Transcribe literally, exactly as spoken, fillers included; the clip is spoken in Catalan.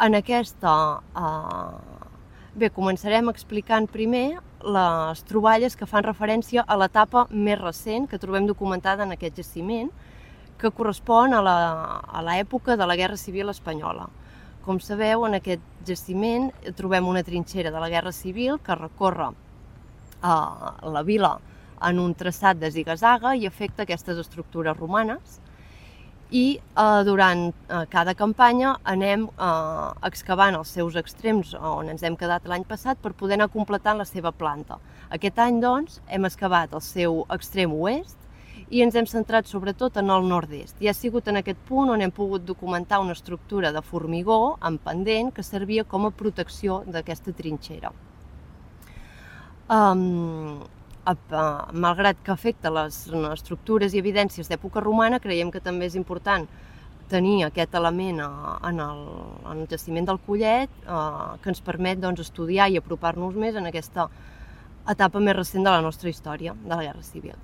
En aquesta... Eh, bé, començarem explicant primer les troballes que fan referència a l'etapa més recent que trobem documentada en aquest jaciment, que correspon a l'època de la Guerra Civil Espanyola. Com sabeu, en aquest jaciment trobem una trinxera de la Guerra Civil que recorre eh, la vila en un traçat de ziga-zaga i afecta aquestes estructures romanes. I eh, durant eh, cada campanya anem eh, excavant els seus extrems on ens hem quedat l'any passat per poder anar completant la seva planta. Aquest any, doncs, hem excavat el seu extrem oest i ens hem centrat sobretot en el nord-est. I ha sigut en aquest punt on hem pogut documentar una estructura de formigó en pendent que servia com a protecció d'aquesta trinxera. Um, malgrat que afecta les estructures i evidències d'època romana, creiem que també és important tenir aquest element en el, en el jaciment del Collet eh, que ens permet doncs, estudiar i apropar-nos més en aquesta etapa més recent de la nostra història, de la Guerra Civil.